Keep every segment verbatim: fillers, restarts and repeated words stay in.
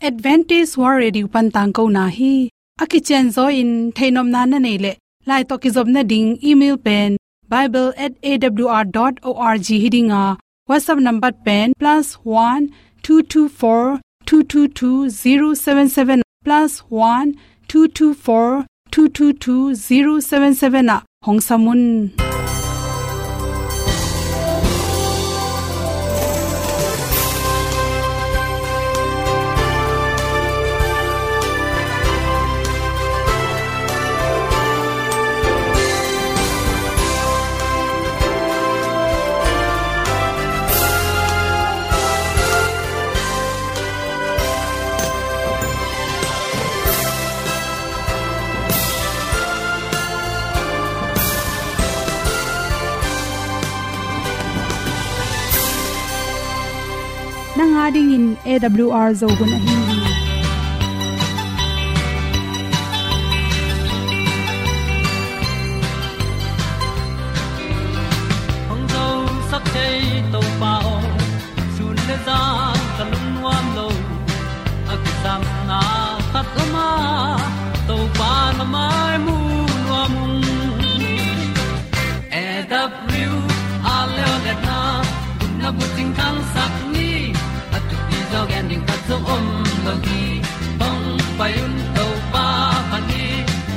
Adventist World Radio pan tangkona hi. A kicianzaw in theihnopna na neih leh, lai tawh kizopna ding email pen bible at A W R dot org hi ding a, WhatsApp number pen plus one two two four two two two zero seven seven, plus one two two four two two two zero seven seven ah hong sam un. Nang a dingin A W R Zo hun ahi hi. Hong zosak thei Topa aw, sun le zan ka lungnuam lo. A kisapna khat om a, Topa na mai mu nuam ung. A W R Zo hun a bucing thangsak ni, a thupi zaw gen ding khat zong om lo hi. Hong pai un Topa pha ni,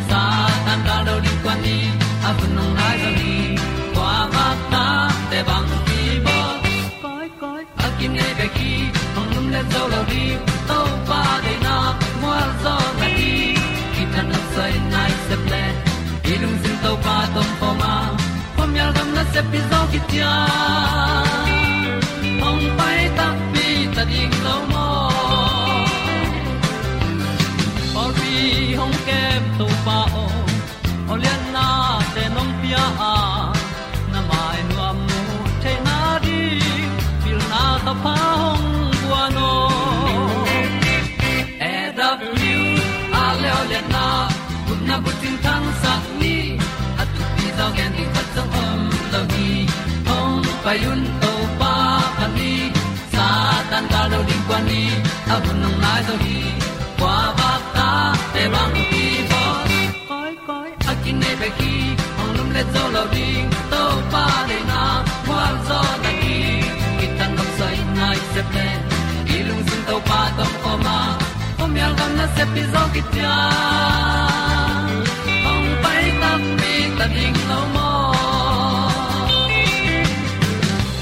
Satan gal do ding kua ni, a hun hong nai zaw hi. Kua vak ta te bang hi bawl. Koi, koi, a kinei bek hi, hong lumlet zo lo ding, Topa deihna mual zaw na hi. Kitang a soi nai sep le, i lungsim Topa tawh om khawm a, khuamial gam nasep pi zaw khit ciang, hong pai takpi ta ding lo maw. Pawlpi hong kem Topa aw, aw liannate nong pia a, na mai nuam mu theihna ding, pilna thapha hong guan aw. A W R Zo hun a bucing thangsak ni, a thupi zaw gen ding khat zong om lo hi. Hong pai un Topa pha ni, Satan gal do ding kua ni, a hun hong nai zaw hi. Kua vak ta te bang hi bawl. Koi, koi, a kinei bek hi, hong lumlet zo lo ding, Topa deihna mual zaw na hi. Kitang a soi nai sep le, i lungsim Topa tawh om khawm a, khuamial gam nasep pi zaw khit ciang, hong pai takpi ta ding lo maw.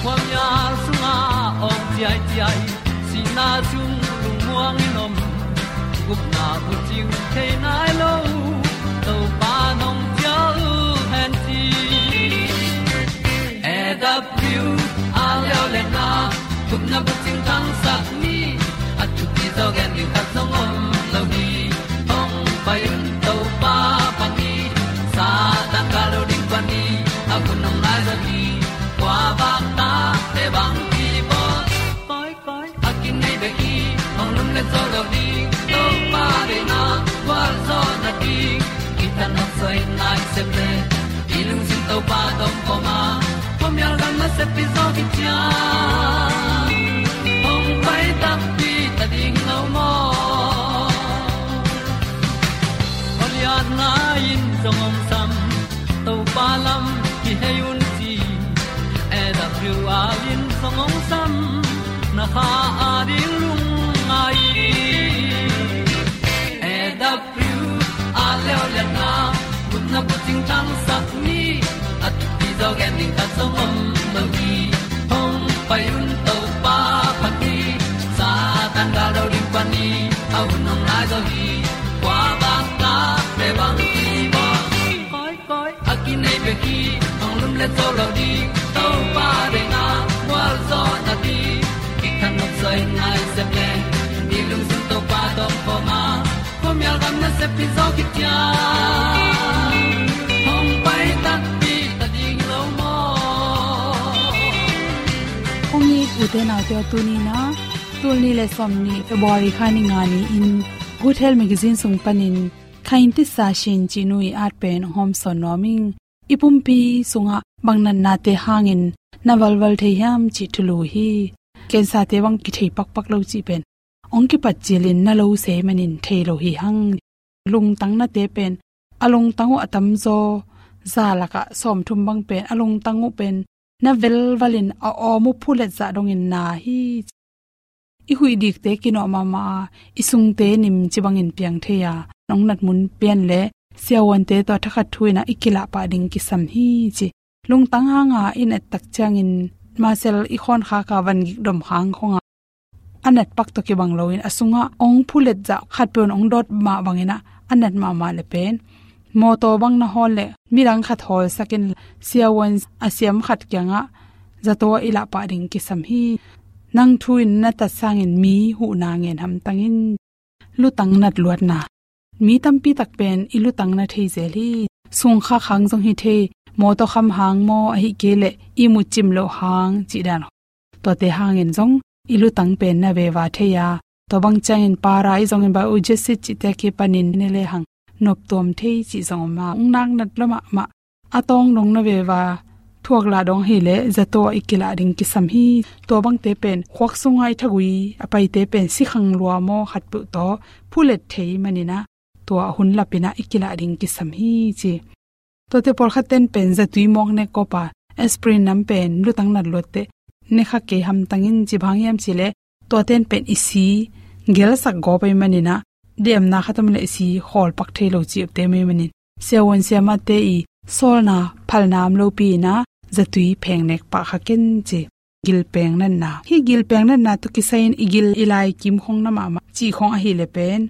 Khuamial sungah awng ciaiciai, sihna sung lungmuang in om, gupna bucing thei nai lo, Topa nong cial hen ci. A W R Zo hun a gupna bucing thangsak ni, a thupi zaw gen ding khat zong om lo hi. Hong pai un Topa pha ni, Satan gal do ding kua ni, a hun hong nai zaw hi. Kua vak ta te bang hi bawl. Koi, koi, a kinei bek hi, hong lumlet zo lo ding, Topa deihna mual zaw na hi. Kitang a soi nai sep le, i lungsim Topa tawh om khawm a, khuamial gam nasep pi zaw khit ciang, hong pai takpi ta ding lo maw. Aw liatna in zong hong sam, Topa lam kihei un ci. A W R in zong hong sam, na kha a ding lungngai. A W R Zo hun a gupna bucing thangsak ni, a thupi zaw gen ding khat zong om lo hi. Hong pai un Topa pha ni, Satan gal do ding kua ni, a hun hong nai zaw hi. Kua vak ta te bang hi bawl. Koi, koi, a kinei bek hi, hong lumlet zo lo ding, Topa deihna mual zaw na hi. Kitang a soi nai sep le, i lungsim Topa tawh om khawm a, khuamial gam nasep pi zaw khit ciang, hong pai takpi ta ding lo maw. Kong it ute naute aw, tuni in a, tul nih le sawmnih February kha ni nga ni-in Good Health Magazine sung panin Khain Tisa Shin cih nu i at pen hong hawmsawn nuam ing. I pumpi sungah bang natnate hangin na valval thei hiam cih thulu hi. Cancer-te bang kithei pakpak lo cih pen hong kipat cilin na lo sei manin thei lo hi hang. Lungtang nate pen a lungtang uh a tamzaw za lakah sawmthum bang pen a lungtang uh pen na velvalin a awm uh phulet zah dongin na hi. I huih dikte kinawh mahmah a, i sungte nimci bangin piang thei a, nong nat mun pian le siavuante tawh thakhat thu in ah i kilah pah ding kisam hi ci. Lungtang hanga i nat tak ciangin masel i khawnkhak a van gik dom khang khong a, a nat pak tawh kibang loin a sungah hong phulet zah khatpeuh in hong dawt mah bangin ah a nat mahmah le pen mawtaw bang na hawl leh midang khat hawlsakin siavuan a siam khat kiangah zato ah i lah pah ding kisam hi. Nang thu in na tat sangin mi huhna ngen hamtang in. Lutang nat luatna. Mi tampi tak pen i lutang na thei zel hi. Sungkhak hang zong hi thei, mawtaw kham hang maw, ahih kei leh ihmut cim loh hang cih dan. Tuate hangin zong i lutang pen na veva thei a, tua bang ciangin para i zongin biogenesis cihte kipanin ne lehang noptuam thei cih zong om a, hong nak nat lua mahmah a tawng dong na veva thuak lah dong hileh zato ah i kilah ding kisam hi. Tua bangte pen khuak sunga i thagui a paite pen sikhang lua maw khatpeuh tawh phulet thei manin ah tua hun lapin ah i kilah ding kisam hi ci. Tuate pawlkhat ten pen zatui mawk nek kawpa aspirin nam pen lutang nat luatte ne kha kei hamtang in ci bang hiam cih leh tuaten pen i si gelsak gawp ahih manin ah demna khat om leh i si khawlpak thei lo cihte om ahih manin siavuan siamahte i sawlna phalna om lopi in ah zatui pheng nek pah kha ken ci. Gilpeng natna. Hih gilpeng natna tawh kisai in i gil i lai kim khong na mahmah cih khong ahih leh pen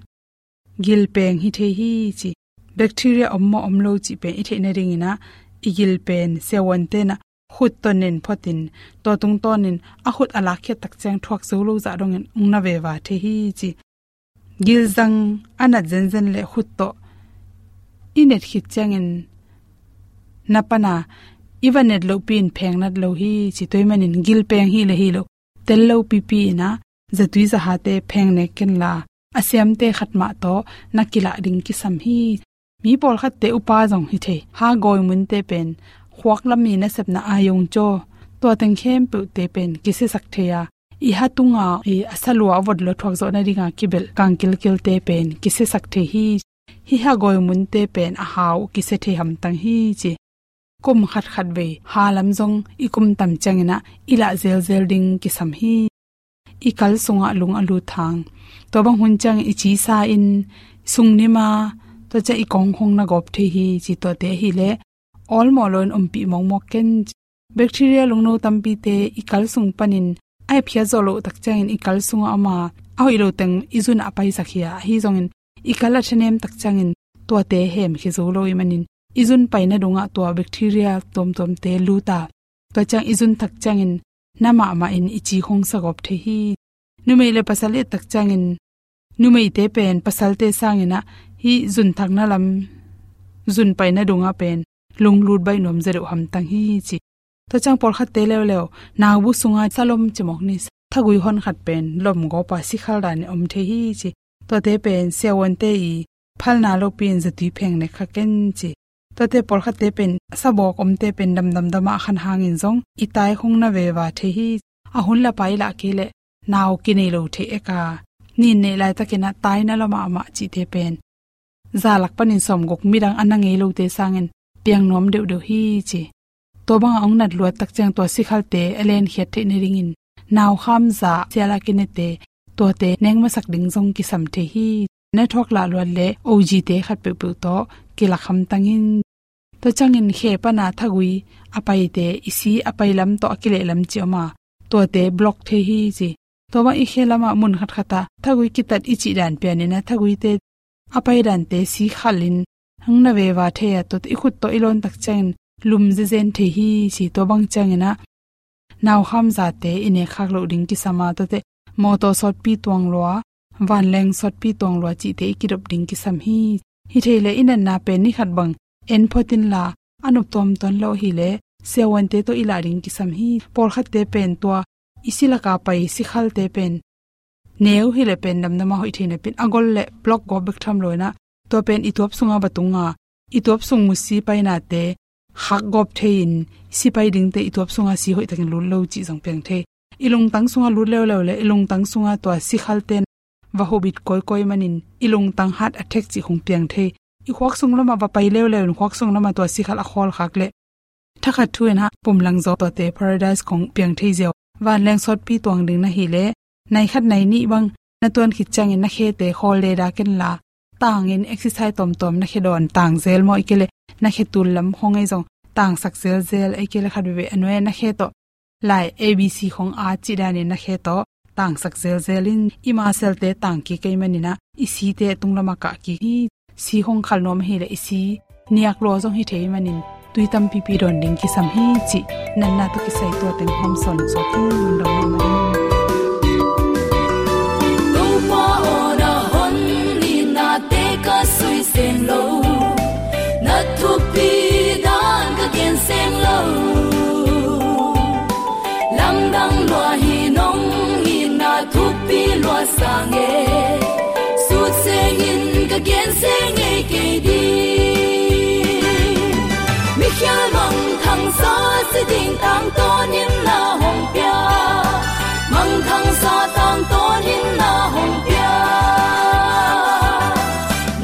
gilpeng hi thei hi ci. Bacteria om maw om lo cih pen i theih nadingin ah i gil pen siavuante in ah khut tawh nen photin tua tungtawnin a khut a lakkhiat tak ciang thuak zo lo zah dongin hong na veva thei hi ci. Gilzang a nat zenzen leh khut tawh i net khit ciangin na pana i va net lohpi in pheng nat lo hi ci. Tua ahih manin gilpeng hi leh hi lo tel lo pipi in ah zatui zahate pheng nek ken la a siamte khat mah tawh na kilah ding kisam hi. Mi pawlkhatte upa zong hi thei. Ha gawi munte pen khuak lam i nasepna a yong caw tua teng khempeuhte pen kisiasak thei a, i ha tunga i a salua a vot lua thuak zawh nadinga kibelh kang kilkilte pen kisiasak thei hi. Hih ha gawi munte pen a hau kisia thei hamtang hi ci. Kum khatkhat vei ha lam zong i kum tam ciangin ah i lah zelzel ding kisam hi. I kal sungah lung a lut hang. Tua bang hun ciangin i ci sa in sung nim a, tua ciang i kong khong na gawp thei hi ci. Tuate ahih leh awlmawh loin ompih mawkmawk ken ci. Bacteria lungno tampite i kal sung panin a epkhiat zawh loh tak ciangin i kal sungah om a, a hoih lo teng i zun ah a paisak hi a, ahi zongin i kal a thanem tak ciangin tuate hemkhia zo lo ahih manin i zun paina dungah tua bacteria tuamtuamte lut a, tua ciang i zun thak ciangin na mahmah in i ci khong sa gawp thei hi. Numei le pasal i et tak ciangin numeite pen pasalte sangin ah hih zun thakna lam zun paina dungah pen lunglut baih nuam zaw deuh hamtang hi ci. Tua ciang pawlkhatte leuleu naubu sunga salom ci mawk ni, thagui hon khat pen lom gawpa sikhal danin om thei hi ci. Tuate pen siavuante i phalna lopi in zatui pheng nek kha ken ci. Tuate pawlkhatte pen sabawk omte pen damdamdam a khan hangin zong i tai khong na veva thei hi. A hun lapa i lah kei leh nau kinei lo thei ek a, nin neih laitakin ah taina lua mahmah cihte pen za lak panin sawmguk midang a na ngei lote sangin piang nuam deuhdeuh hi ci. Tua banga hong nat luat tak ciang tua sikhalte a lenkhiat theih nadingin naukham za sial a kinete tuate neng masak ding zong kisam thei hi. Na thuak lah luat leh O G te khat peuhpeuh tawh kilak hamtang in. Tua ciangin khe pana thagui a paite i si a pai lam tawh a kileh lam ci om a, tuate block thei hi ci. Tua bang i khe lamah mun khatkhat ah thagui kitat i cih dan pianin ah thaguite a pai dante si khalin hong na veva thei a, tuate i khut tawh i lawn tak ciangin lum zezen thei hi ci. Tua bang ciangin ah naukham zate i nek khak loh ding kisam a, tuate mawtaw sawtpi tuang lua, vanleng sawtpi tuang lua cihte i kidop ding kisam hi. Hi thei leh i natna pen ni khat bang en phot inla a nop tuamtuam lo hileh siavuante tawh i lah ding kisam hi. Pawlkhatte pen tua i si laka pai sikhalte pen neu hileh pen damdam a hoih thei napin a gol leh block gawp bek tham lo in ah tua pen i tuap sunga va tung a, i tuap sung mu si painate khak gawp thei in si pai dingte i tuap sunga si hoih takin lut lo cih zong piang thei. I lungtang sunga lut leuleu leh i lungtang sunga tua sikhalte va hubit kawikawi manin i lungtang heart attack cih hong piang thei. I khuak sung lamah va pai leuleu in khuak sung lamah tua sikhal a khawlkhak leh thakhat thu in ah pumlang zaw tuate paradise khong piang thei ziau. Vanleng sawtpi tuang ding na hih leh nai khat nai nih bang na tuan khit ciangin na khete khawl le dak inla, tangin exercise tawmtawm na khe dawn tang zel maw, ahih kei leh na khe tul lam khong ei zong tangsak zelzel, ahih kei leh khat veve a nuai na khe tawh lai A B C khong a cih danin na khe tawh tangsak zelzel in i muscle-te tang kik ei manin ah i site tung lamah kah kik hi. Si hong khal nuam ahih leh i si niak lua zong hi thei manin tui tampipi dawn ding kisam hi cih natna tawh kisai tua teng hong sawn sawk hi. Lungdam mahmah ing. Topa aw, na hon nitnate ka sui sem lo, na thupi dan ka gen sem lo. Lamdang lua hi, nong itna thupi lua sang e, sut sengin ka gen seng ngei kei ding. Mikhial mangthangsa si ding tangtawnin na hong pia, mangthangsa tangtawnin na hong pia.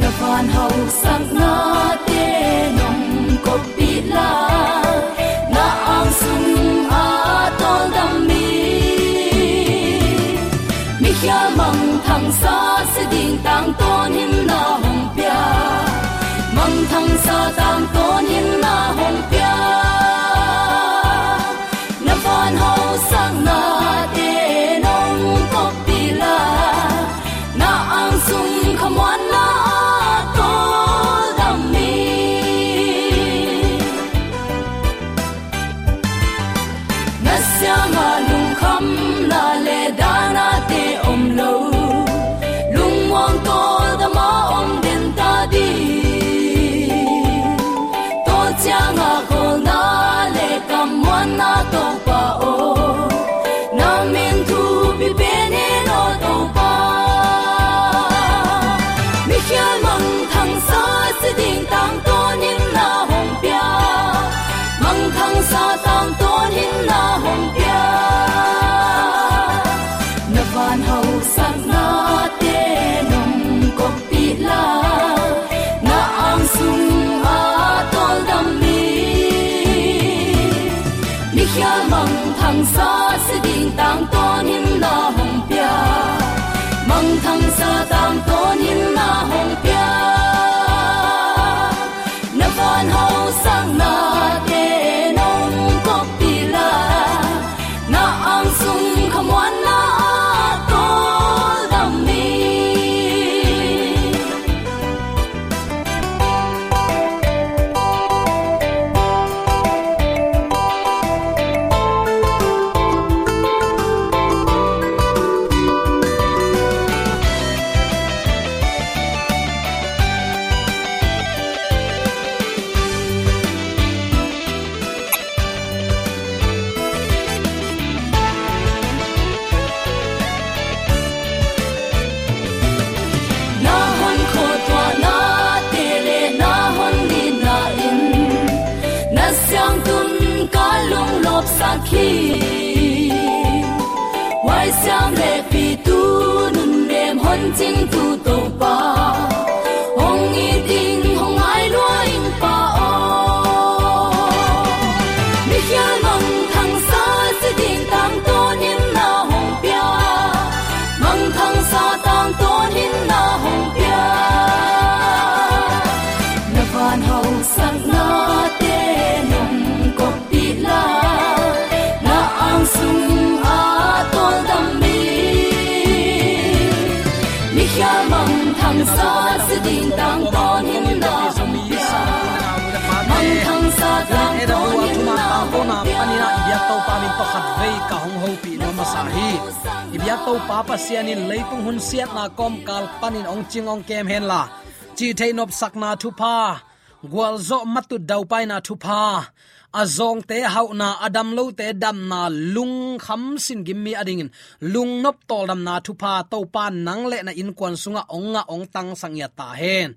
Na van hausaknate nong koppih la, na ang sung a tawldam mi. Mikhial mangthangsa si ding tangtawnin na hong pia, mangthangsa tangtawnin na hong pia. Na van hausaknate nong koppih la, na ang sung khamuanna a tawldam mi. Na siangah lungkhamna le dahnate om lo, lungmuang tawldam a om den ta ding. Tua ciangah khawlna le kammuanna Topa aw, na min thupi pen hen aw Topa. Mikhial mangthangsa si ding tangtawnin na hong pia, mangthangsa tangtawnin na hong pia. Na van hausaknate nong koppih la, na ang sung a tawldam mi. Mikhial mangthangsa si ding tangtawnin na hong pia, mangthangsa tangtawnin na hong pia. Na van hausaknate nong koppih la, na ang sung khamuanna a tawldam mi. Na hon khuatuahnate le na hon nitna in na siangtun ka lunglawpsak hi. Huaisiam le pitu nunnem hon cingtu Topa, hong it ing hong ngai lua ing Pa aw. Mikhial mangthangsa si ding tangtawnin na hong pia, mangthangsa tangtawnin na hong pia. Na van hausaknate nong koppih la, na ang sung a tawldam mi. Mikhial mangthangsa si ding tangtawnin na hong pia, mangthangsa tangtawnin na hong pia. Panin ah i biak Topa min tawh khatvei ka hong hopih nuam masa hi. I biak Topa Pasian in leitung hun siatna kawmkal panin hong cing hong kem henla, cihtheih nopsakna thupha, gualzawh matut daupaina thupha, a zawngte hauhna, a damlote damna, lungkham singim mi a dingin lungnop tawldamna thupha Topa nang le na innkuan sungah hong ngah hong tangsak ngiat ta hen.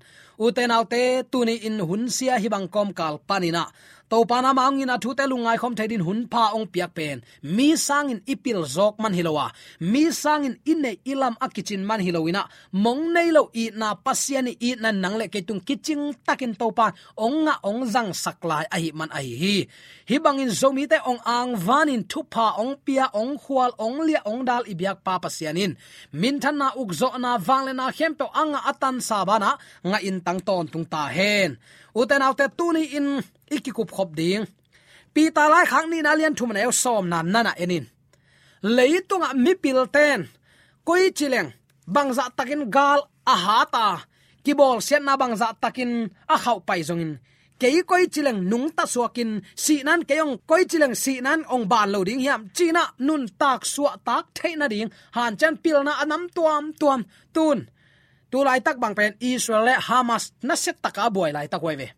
Ute naute, tuni-in hunsia hih bang kawmkal panin ah Topa in amah hong itna thute lungngaikhawm thei dingin hunpha hong piak pen mi sangin i pil zawk man hi lo a, mi sangin i neih i lam a kicin man hi lo in ah, mong nei lo itna, Pasian ii itna nang le kei tung kicing takin Topa in hong ngah hong zangsak lai ahih man ahi hi. Hih bangin Zomite hong angvanin thupha hong pia, hong khual, hong liah, hong dal i biakpa Pasian in minthanna, ukzawhna, vangliatna khempeuh a ngah a tansa banah ngah in tang tawntung ta hen. Ute naute, tuni-in i kikupkhop ding Peter laikhak nihna lian thum, a neu sawmna na en in. Leitungah mipilten koici leng bangzah takin gal a hat a, kibawlsiatna bangzah takin a khauhpai zongin, kei koici leng nungta suakin, sihna in kei hong, koici leng sihna in hong ban lo ding hiam, ci-in ah nuntak suahtak theih nading hanciam pilna a nam tuamtuam. Tun, tu laitak bang pen Israel le Hamas nasia taka buai laitak uh ahi ve.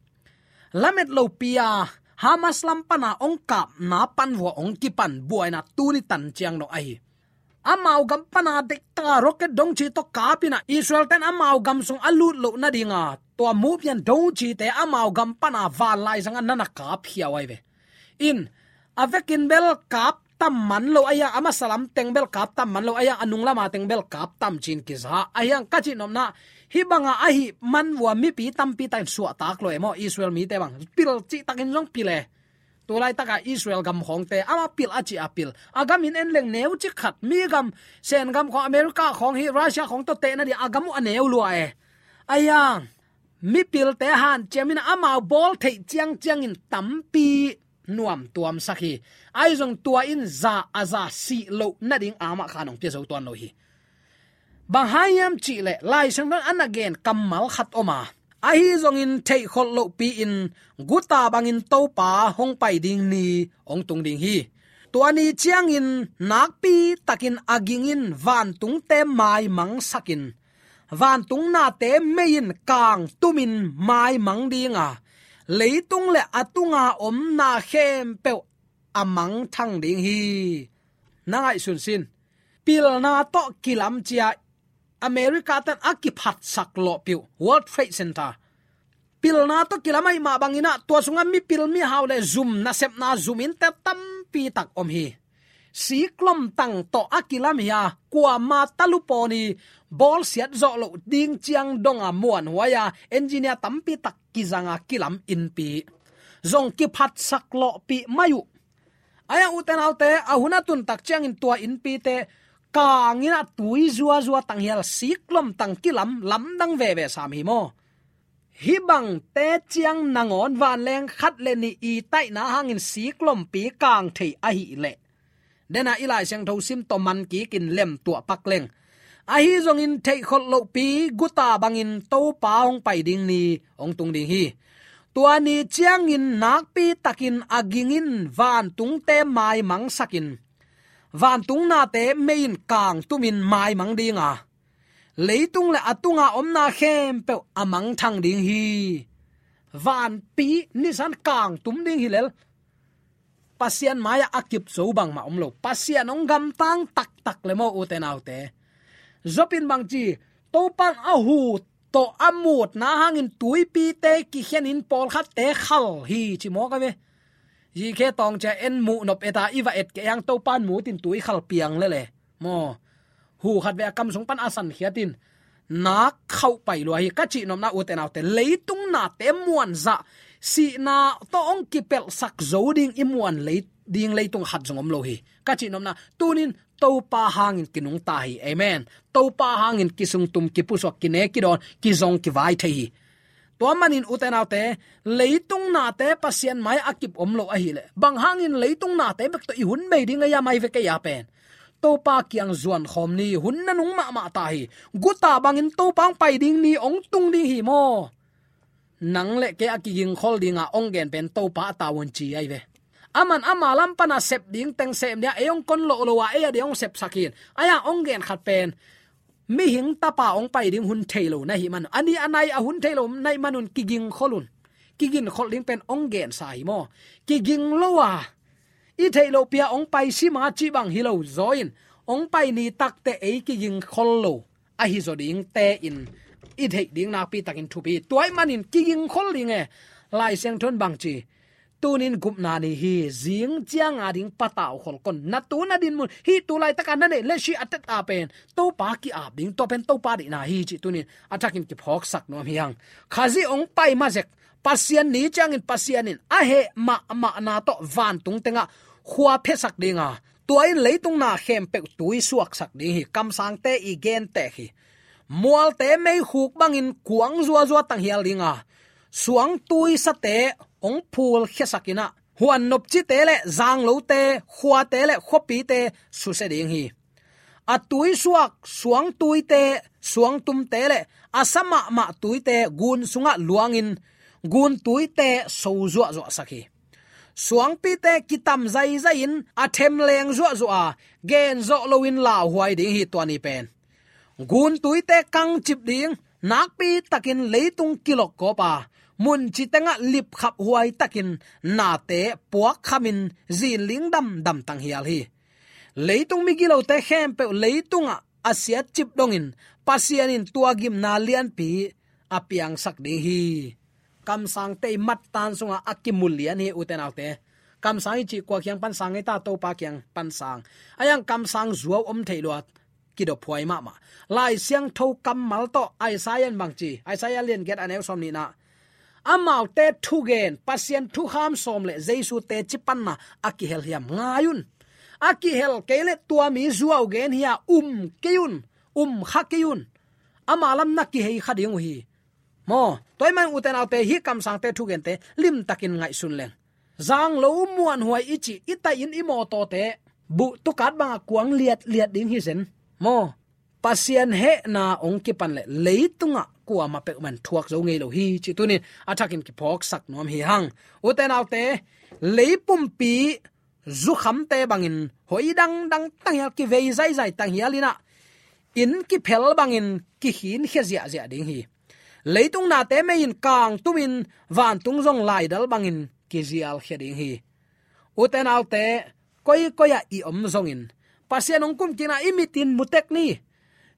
Lamet lopi-a Hamas lam pana hong kapna pan vua hong kipan buaina tuni tan ciang dong ahi. Amau gam pana deih taka rocket dongci tawh kap in ah, Israel ten amau gam sung a lut loh nadinga tua muh pian dongcite amau gam pana vanlaizang a na na kapkhia uh ahi ve. In, a vekin bel kap tam man lo a hiang, a masa lam teng bel kap tam man lo a hiang, a nung lama teng bel kap tam ci-in kiza a hiang, ka cih nopna, hih banga ahih man vua mipi tampi takin suahtak lo e maw, Israel mite bang. Pil cih takin zong pil e. Tu laitaka Israel gam khawngte amah pil a cih a pil. A gam in en leng neucik khat, mi gam, Sen gam khawng, America khawng hi, Russia khawng tawh tehna ding a gam uh a neu lua e. A hiang, mipilte hanciam in amau bawl theih ciangciangin tampi nuamtuamsak hi. Ahi zong tua in za a za sih loh nading amah khan hong pia zo tuan lo hi. Bang hang hiam cih leh Lai Siangtho in a na gen kammal khat om a, ahi zongin theihkholh lohpi-in guta bangin Topa hong pai ding ni hong tung ding hi. Tua ni ciangin nakpi takin a ging in vantungte maimangsakin, vantung nate mei in kangtumin maimang ding a, leitung le a tunga om na khempeuh a mangthang ding hi. Na ngaihsun sin. Pilna tawh kilam ci-a America ten a kiphatsak lawhpih uh World Trade Center. Pilna tawh kilam ahih mah bangin ah, tua sungah mipil mihau le zum, nasepna zum innte tampi tak om hi. Siklom tang tawh a kilam hi a, kuama talupawn i bawlsiat zawh loh ding ciang donga muanhuai a, engineer tampi tak kizanga kilam innpi zong kiphatsak lawhpih mai uh. Ahi hang ute naute, a hun a tun tak ciangin tua innpite kangin ah tui zuazua tang hial, siklom tang kilam, lamdang veve sam hi maw. Hih bangte ciang nangawn vanleng khat le nih i taihna hangin siklompi kang thei ahih leh, dena i Lai Siangtho sim tawh man kikin lemtuah pak leng. Ahi zongin theihkholh lohpi guta bangin Topa hong pai ding ni hong tung ding hi. Tua ni ciangin nakpi takin a ging in vantungte maimangsakin, vantung nate mei in kangtumin maimang ding a, leitung le a tunga omna khempeuh a mangthang ding hi. Vanpi nisan kangtum ding hi lel. Pasian mai-ah a kip zo bangmah om lo. Pasian hong gamtang taktak le maw ute naute. Job in bang ci, Topa in a hu tawh a mutna hangin tuipite kikhenin pawlkhatte khal hi ci mawk a ve. Zikhe tawng cia en muh nop eta i va et kei hang Topa in mut in tui khal piang lele. Maw. Hu khat ve a kam sung pan a sankhiat in nak khauh pai lua hi. Ka cih nopna ute naute, leitung nate muanzah, sihna tawh hong kipelhsak zo ding i muan lei, ding leitung khat zong om lo hi. Ka cih nopna, tunin Topa hangin kinungta hi. Amen. Topa hangin kisungtum, kipusuak, kine, kidawn, kizong, kivai thei hi. Tua manin ute naute, leitung nate Pasian mai a kip om lo ahih leh, bang hangin leitung nate bek tawh i hun bei ding a hiam, ai ve kei a pen. Topa kiang zuan khawm ni, hun nanung mahmah ta hi. Guta bangin Topa hong pai ding ni hong tung ding hi maw. Nang le kei a kigingkhol dinga hong gen pen Topa a tawh un ci ai ve. Aman ama lam pana sep ding teng sem dia, ei hong kon loh lo a, ei a dia hong sepsak hi. Ahi hang hong gen khat pen, mihing tapa hong pai ding hun thei lo na hih man, a ni a nai a hun thei lo na hih manun kigingkhol un. kiginkholh ding pen hong gensa hi maw. Kiging lo a, i theih loh pia hong pai sima cih bang hi lo zaw in, hong pai ni takte ei kigingkhol lo ahi zaw dingte in i theih ding nakpi takin thupi. Tua ahih manin kigingkhol ding e. Lai Siangtho in bang ci? Tunin gupna ni hi, zing cianga ding pataukhol kon. Na tu na dinmun, hih tu laitaka na neih le si a teta pen Topa ki-ap ding, tua pen Topa deihna hi cih tunin a thakin kiphawksak nuam hi hang. Khazih hong pai ma zek, Pasian ni ciangin Pasian in a heh mahmahna tawh vantung tengah khua phiasak dinga, tua in leitung na khempeuh tui suaksak ding hi. Kamsangte i gentek hi. Mualte meikhuk bangin kuang zuazua tanghial dinga, suangtuisate hong phulkhiasak inah, huan nopcite le zanglote, khuate le khuapite susia ding hi. A tuisuak suangtuite, suangtumte le a sa mahmah tuite gun sungah luangin, gun tuite so zuahzuahsak hi. Suangpite kitam zaizai-in a themleng zuahzuah a, gen zawh loin lauhuai ding hi tua ni pen. Gun tuite kangcip ding, nakpi takin leitung kilokkawp a, munci tengah lipkhap huai takin nate puakkhamin zinling damdam tanghial hi. Leitung migilote khempeuh leitungah a siatcip dongin Pasian in tua gimna lianpi a piangsak ding hi. Kamsangte i mattan sungah a kimu lian hi, ute naute. Kamsang i cih kua kiang pansang ei ta? Topa kiang pansang. A iang kamsang zuau om theih luat, kidophuai mahmah. Lai Siangtho kammal tawh Isaiah in bang ci? Isaiah lian giat a neu sawm nihna. Amaute thugen, Pasian thukham sawm le Jesu teci panna a kihel hiam? Ngai un. A kihel kei le tua mi zuau gen hi a, um kei un, um kha kei un. Ama lam na kihei kha ding uh hi. Maw, tua ahih man ute naute, hih kamsangte thugente limtakin ngaihsun leng. Zanglo muanhuai i cih, i taih in i mawtawte buh tukat bangah kuang liatliat ding hi zen. Maw, Pasian hehna hong kipan le leitungah kuamah peuhmah in thuak zo ngei lo hi cih tunin a thakin kiphawksak nuam hi hang. Ute naute, leipumpi zukhamte bangin hoi dangdang tanghial, kivei zaizai tanghial inah, inn kiphel bangin kikhinkhia ziahziah ding hi. Leitung nate mei in kangtumin vantung zong laidal bangin kizialkhia ding hi. Ute naute, koikoi ah i om zongin Pasian hong kumkikna i mitin mutek ni.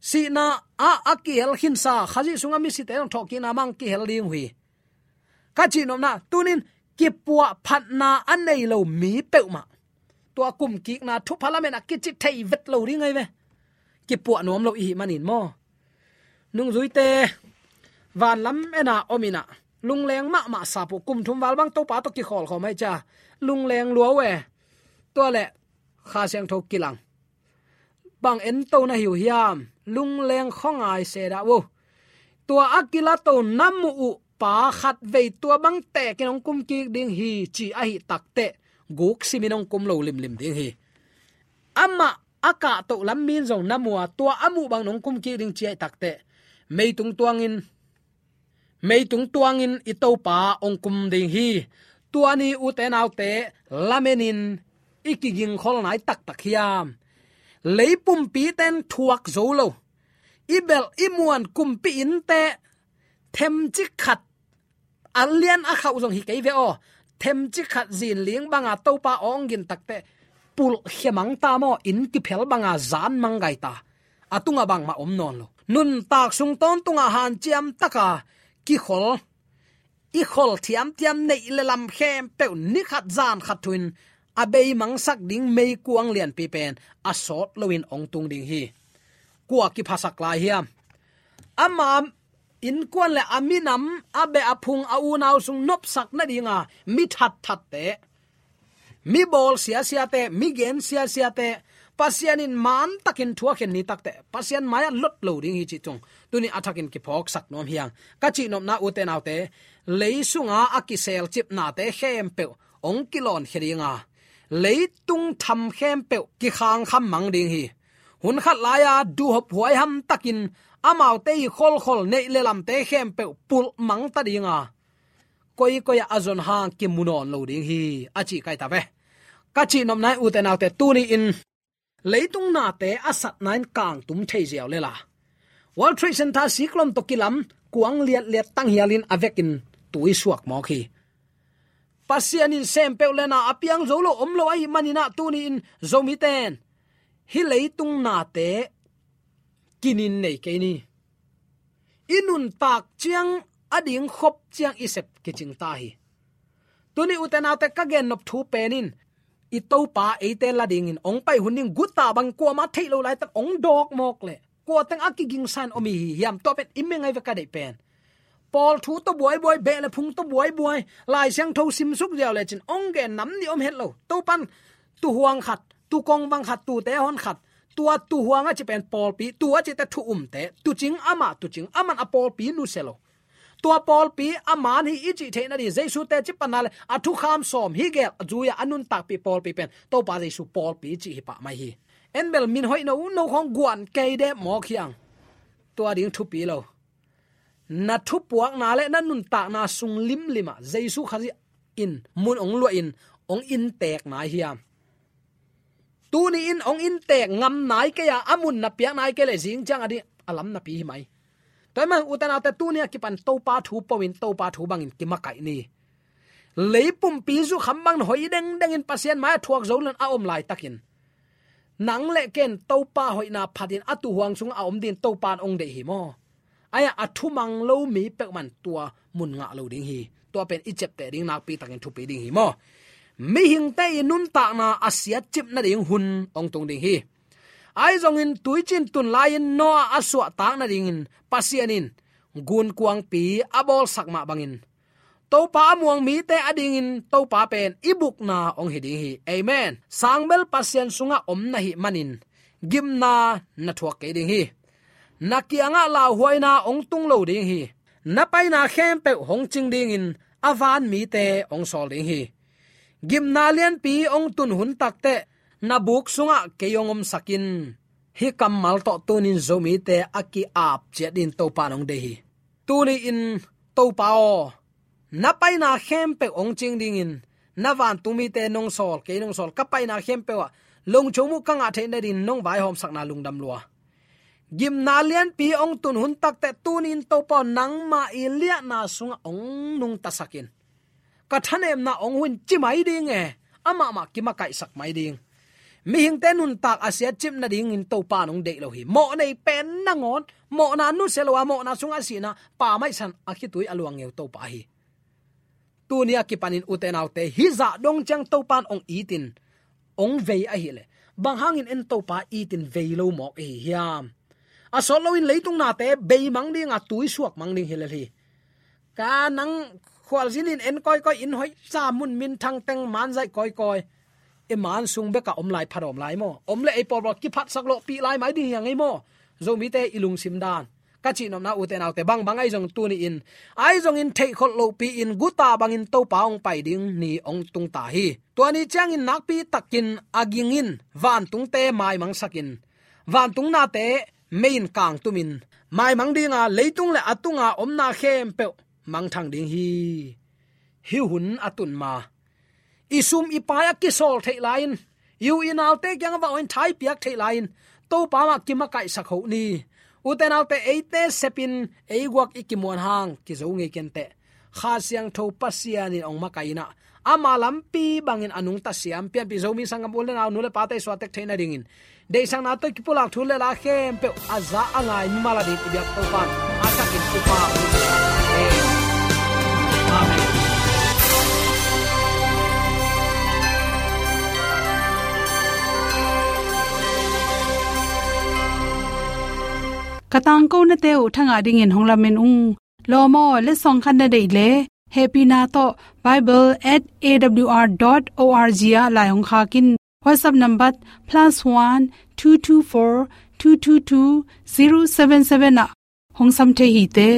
Sihna ah a kihel khinsa Khazih sungah misite zong thawhkikna mah hong kihel ding uh hi. Ka cihnopna, tunin kipuahphatna a nei lo mi peuhmah tua kumkikna thupha lamen a kici thei vet lo ding ahi ve. Kipuah nuam lo i hih manin maw. Nungzuite vanlam ena om inah, lungleng mahmah sap uh, kum thum val bang Topa tawh kikhawlkhawm ahi cia, lungleng lua uh e. Tua le Kha Siangtho kilang, bang ento na hi uh hiam? Lungleng khuangai se dah uh. Tua a kilato na muh uh pa khatvei tua bang tekin hong kumkik ding hi ci ahi takteh, guk simin hong kum lo limlim ding hi. Amah a kahtoh lam min zong na mu a, tua a muh bang nong kumkik ding ci ahi takteh, meitung tuangin, meitung tuangin i Topa hong kum ding hi. Tua ni ute naute, lamenin i kigingkholna i taktak hiam? Leipumpite in thuak zo lo, i belh i muan kumpi innte themcik khat, a lian a khauh zong hi kei ve aw, themcik khat zinling banga Topa aw hong gin takteh, pulhkhia mang ta maw, inn kiphel banga zan mang gai ta. A tungah bangmah om nawn lo. Nuntak sung tawntungah hanciam taka kikhol, i khol thiamthiam neih le lam khempeuh ni khat zan khat thu-in a beimangsak ding meikuang lianpi pen a sawt loin hong tung ding hi. Kua kiphasak lai hiam? Ama innkuan le a minam, a beh a phung, a unau sung nopsak nadinga mi thatthatte, mi bawl siasiate, mi gen siasiate, Pasian in mantakin thuakhin ni takteh, Pasian mai-ah lot lo ding hi cih tung tuni a thakin kiphawksak nuam hi hang. Ka cihnopna ute naute, lei sunga a kiselcipnate khempeuh hong kilawnkhia dinga, leitung tham khempeuh kikhangkham mang ding hi. Hun khat lai-a duhhop huaiham takin amaute i kholkhol neih le lamte khempeuh pulh mang ta dinga, koikoi ah a zon hang kimu nawn lo ding hi, a cih kai ta ve. Ka cihnopna ute naute, tuni-in leitung nate a satna in kangtum thei ziau lela, World Trade Center siklom tawh kilam kuang liatliat tanghialin a vekin tui suak mawk hi. Pasian in sem peuh le na a piang zo lo om lo ahih manin ah tuni-in Zomite in hih leitung nate kinin nei kei ni. I nuntak ciang a ding khop ciang i sep kicing ta hi. Tuni ute naute ka gennop thu pen in i Topa eite la dingin ong pai hun ding guta bang kuamah theih lo laitak ong dawk mawk leh kua teng a kigingsan om hi hiam, tua pen i meng ai ve ka deih pen. Paul thu tawh buaibuai, beh le phung tawh buaibuai, Lai Siangtho simsuk ziau lecin ong gen nam nih om het lo. Topan tuhuang khat, tukong bang khat, tute hon khat, tua tuhuang a ci pen pawlpi, tu a cite thu umte, tuucing amah tuucing, aman a pawlpi nusia lo. Tua pawlpi a man hi i cih theih nading Jesu teci panna le a thukham sawm hi gel a zui-a a nuntakpih pawlpi pen Topa Jesu pawlpi cih hi pah mai hi. En bel min hoih no uh no khawng guan kei dep mawk hiang. Tua ding thupi lo. Na thupuakna le na nuntakna sung limlim ah Jesu Khazih in mun ong luah in ong inntek nai hiam? Tuni-in ong inntek ngam nai kei a, a mun na piak nai kei leh zing ciang a ding a lam napi hi mai. Tua ahih man ute naute tuni a kipan Topa thu po-in Topa thu bangin kimakaih ni. Lei pumpi zukham bang na hoih dengdengin Pasian mai-ah thuak zo lo-in a om laitakin nang le ken Topa hoihna phatin a tuhuang sungah a om dingin Topa in ong deih hi maw? Ai-ah a thumang lo mi peuhmah in tua mun ngah lo ding hi. Tua pen i ciapteh ding nakpi takin thupi ding hi maw? Mihingte i nuntakna a siatcip nading hun ong tung ding hi. Ahi zongin tuicin tun lai-in Noah a suahtak nadingin Pasian in gunkuangpi a bawlsak mah bangin Topa a muang mite a dingin Topa pen i bukna ong hi ding hi. Amen. Sangbel Pasian sungah om na hih manin gimna na thuak kei ding hi. Na kiangah lauhuaina ong tung lo ding hi. Na paina khempeuh hong cing dingin a van mite ong sawl ding hi. Gimna lianpi ong tun hun takteh na buk sungah kei ong omsak in. Hih kammal tawh tunin Zomite a ki-ap ciat dingin Topa in ong deih hi. Tuni-in Topa aw, na paina khempeuh ong cing dingin na vantung mite nong sawl, kei nong sawl, ka paina khempeuh ah lungchung muh ka ngah theih nadingin nong vaihawmsakna lungdam lua. Gimna lianpi ong tun hun takteh tuni-in Topa aw, nangmah i liahna sungah ong nungtasak in. Ka thanemna ong huh in ci mai ding e, amah mah kimakaihsak mai ding. Mihingte nuntak a siatcip nadingin Topa in ong deih lo hi. Mawh nei pen nangawn, mawhna nusia lo a, mawhna sungah sihna, pa maisan a khitui a luang ngeu Topa hi. Tuni a kipanin ute naute, hih zah dong ciang Topa in ong itin, ong vei ahih leh, bang hangin en Topa itin vei lo mawk i hi hiam? A sawt loin leitung nate beimang ding a, tuisuak mang ding hi lel hi. Ka nang khualzin in en kawikawi, inn hoihsa, mun minthang teng manzaih kawikawi. I man sung bekah om lai phat om lai maw? Om leh ei pawlpawl kiphatsak lawhpih lai mai ding hi hang ei maw? Zomite i lungsim dan ka cihnopna ute naute, bangbang ahi zong tuni-in, ahi zongin theihkholh lohpi-in guta bangin Topa ong pai ding ni ong tung ta hi. Tua ni ciangin nakpi takin a ging in vantungte maimangsak in, vantung nate mei in kangtum in, maimang ding a, leitung le a tunga omna khempeuh mangthang ding hi. Hih hun a tun ma, i sum i pai a kisawl theih lai-in, i u i naute kiangah va ong in thaipiak theih lai-in, Topa mah kimakaihsak hoh ni. Ute naute, eite sepin ei guak i kimuan hang kizo ngei kenteh. Kha Siangtho Pasian in ong makaih in ah, ama lampi bangin a nungta siam pianpih Zomi sanggam u le nau, nu le pate suaktek theih nadingin, deihsakna tawh kipulak thu le la khempeuh a za a ngai mimal a ding i biak Topa in a thakin thupha. Amen. Ka tangkonate uh thangah dingin hong lamen ung. Lawm aw, letsong khat na deih leh, hehpihna tawh bible at A W R dot O R G ah lai hong khak in. WhatsApp number plus one two two four two two two zero seven seven ah hong sam thei hi te.